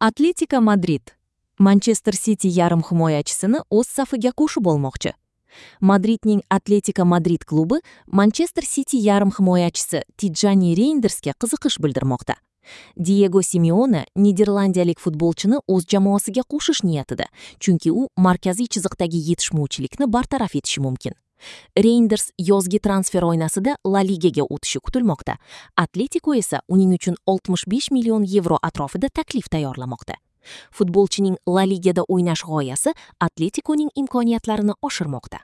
Атлетико Мадрид Манчестер Сити ярым химоячысыны өз сафыга кошуп болмокчу. Мадриднин Атлетико Мадрид клубу Манчестер Сити ярым химоячысы Тиджани Рейндерске кызыкыш билдирмокта. Диего Симеоне нидерландиялык футболчуну өз жамоосуга кошуш ниятыда, чүнки у марказый чызыктагы жетишмөөчүлүкнү бартараф этиши мүмкүн. Рейндерс ёзги трансфер ойнасыда Ла Лигага өтүшү күтүлмөктө. Атлетико эсе унин үчүн 65 миллион евро атрофунда таклиф даярламакта. Футболчунун Ла Лигада ойнаш гоясы Атлетиконун имкониятларын ашырмакта.